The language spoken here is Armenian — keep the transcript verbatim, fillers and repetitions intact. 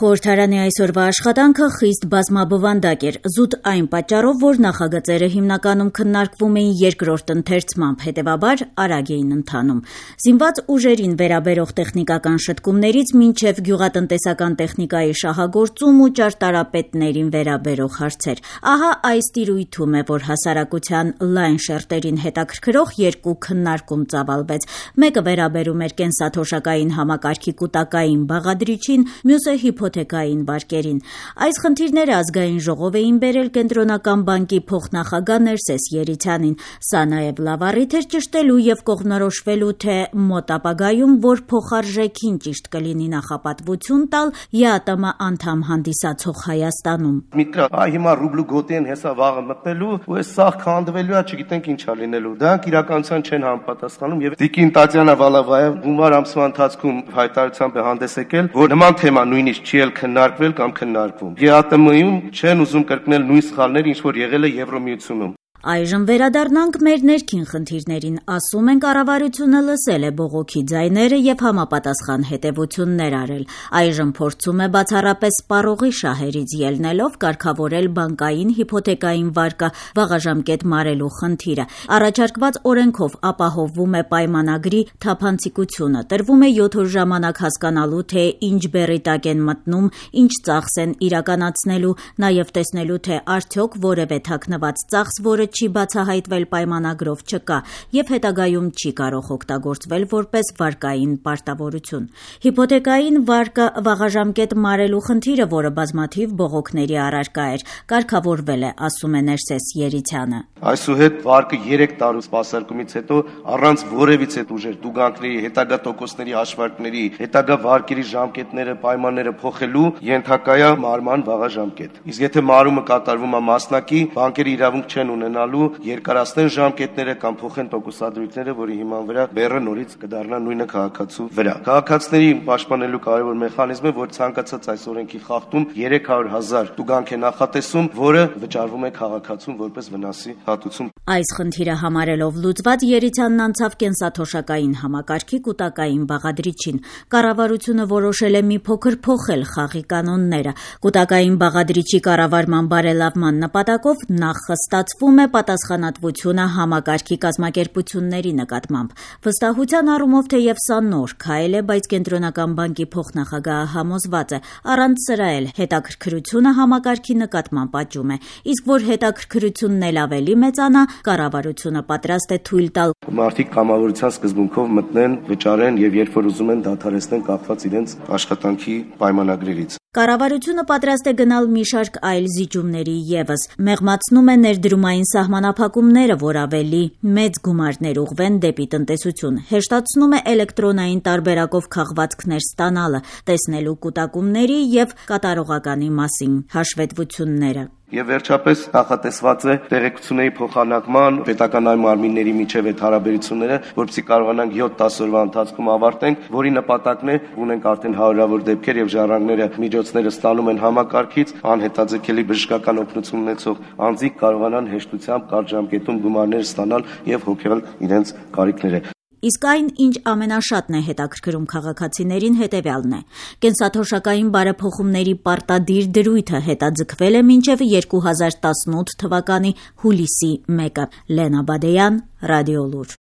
Խորհրդարանի այսօրվա աշխատանքը խիստ բազմաբովանդակ էր, զուտ այն պատճառով, որ նախագծերը հիմնականում քննարկվում էին երկրորդ ընթերցմամբ, հետևաբար արագ էին ընթանում։ Զինված ուժերին վերաբերող տեխնիկական շտկումներից մինչև գյուղատնտեսական տեխնիկայի շահագործում ու ճարտարապետներին վերաբերող հարցեր։ Ահա այս տիրույթում է, որ հասարակության լայն շերտերին հետաքրքրող երկու քննարկում ծավալվեց։ Մեկը վերաբերում էր կենսաթոշակային համակարգի կուտակային բաղադրիչին, մյուսը հիփոթեքային վարկերին։ Այս խնդիրները ազգային ժողով էին բերել Կենտրոնական բանկի փոխնախագահ Ներսես Երիցյանին։ Սա նաև լավ առիթ էր ճշտելու եւ կողմնորոշվելու, թե մոտ ապագայում որ փոխարժեքին ճիշտ կլինի նախապատվություն տալ ԵԱՏՄ անդամ հանդիսացող Հայաստանում։ Միտրա, այ հիմա ռուբլու գոտի են հեսա վաղը մտնելու, ու այս սաղ քանդվելու է, չգիտենք ինչա լինելու։ Դրանք իրականության չեն համապատասխանում եւ Տիկին Տատյանա Վալավաև հունվար ամսվա ընթացքում հայտարարությամբ է հանդես եկել, որ նման թեմա նույնիսկ չի էլ քննարկվել կամ քննարկվում։ ԵԱՏՄ-ում չեն ուզում կրկնել նույն սխալները, ինչ որ եղել է Եվրոմիությունում։ Այժմ վերադառնանք մեր ներքին խնդիրներին, ասում են կառավարությունը լսել է բողոքի ձայները եւ համապատասխան հետեւություններ արել։ Այժմ փորձում է բացառապես սպառողի շահերից ելնելով կարգավորել բանկային հիփոթեքային վարկը վաղաժամկետ մարելու խնդիրը։ Առաջարկված օրենքով ապահովվում է պայմանագրի թափանցիկությունը, տրվում է յոթ օր ժամանակ հասկանալու, թե ինչ բեռի տակ են մտնում, ինչ ծախս են իրականացնելու, նաեւ տեսնելու, թե արդյոք որևէ թաքնված ծախս, որը չի բացահայտվել պայմանագրով չկա եւ հետագայում չի կարող օգտագործվել որպես վարկային պարտավորություն։ Հիփոթեքային վարկը վաղաժամկետ մարելու խնդիրը, որը բազմաթիվ բողոքների առարկա էր, կարգավորվել է, ասում է Ներսես Երիցյանը։ Այսուհետ վարկը երեք տարու սպասարկումից հետո առանց որևիցե ուժեր դուգանքների, հետագա տոկոսների հաշվարկների, հետագա վարկերի ժամկետները, պայմանները փոխելու ենթակա է մարման վաղաժամկետ։ Իսկ եթե մարումը կատարվում է մասնակի, բանկերը իրավունք չեն ունենալու երկարացնեն ժամկետները կամ փոխեն տոկոսադրույքները, որի հիման վրա բեռը նորից կդառնա նույնը քաղաքացու վրա։ Քաղաքացիների պաշտպանելու կարևոր մեխանիզմը, որ ցանկացած այս օրենքի խախտում երեք հարյուր հազար տուգանք է նախատեսում, որը վճարվում է քաղաքացուն որպես վնասի հատուցում։ Այս խնդիրը համարելով լուծված Երիցյանն անցավ կենսաթոշակային համակարգի կուտակային բաղադրիչին։ Կառավարությունը որոշել է մի փոքր փոխել խաղի կանոնները։ Կուտակային բաղադրիչի կառավարման բարելավման նպատակով նախ խստացվում է պատասխանատվությունը համակարգի կազմակերպությունների նկատմամբ։ Վստահության առումով թեև սա նոր քայլ է, բայց Կենտրոնական բանկի փոխնախագահը համոզված է, առանց սրա էլ հետաքրքրությունը համակարգի նկատմամբ աճում է, իսկ որ հետաքրքրությունն էլ ավելի մեծանա, կառավարությունը պատրաստ է թույլ տալ մարդիկ կամավորության սկզբունքով մտնեն, վճարեն եւ երբ որ ուզում են դադարեցնեն կախված իրենց աշխատանքի պայմանագրերից։ Կառավարությունը պատրաստ է գնալ մի շարք այլ զիջումների եւս, մեղմացնում է ներդրումային սահմանափակումները, որ ավելի մեծ գումարներ ուղղվեն դեպի տնտեսություն, հեշտացնում է էլեկտրոնային տարբերակով քաղվածքներ ստանալը, տեսնելու կուտակումների եւ կատարողականի մասին հաշվետվությունները։ Եվ վերջապես նախատեսված է տեղեկությունների փոխանակման պետական այլ մարմինների միջև այդ հարաբերությունները, որպեսզի կարողանանք յոթ-դաս օրվա ընթացքում ավարտենք, որի նպատակն է ունենք արդեն հարյուրավոր դեպքեր եւ ժառանգները միջոցները ստանում են համակարգից, անհետաձգելի բժշկական օգնություն ունեցող անձիկ կարողանան հեշտությամբ կարճ ժամկետում գումարներ ստանալ եւ հոգալ իրենց կարիքները։ Իսկ այն, ինչ ամենաշատն է հետաքրքրում քաղաքացիներին, հետևյալն է։ Կենսաթոշակային բարեփոխումների պարտադիր դրույթը հետաձգվել է մինչև երկու հազար տասնութ թվականի հուլիսի մեկը։ Լենա Բադեյան, Ռադիոլուր։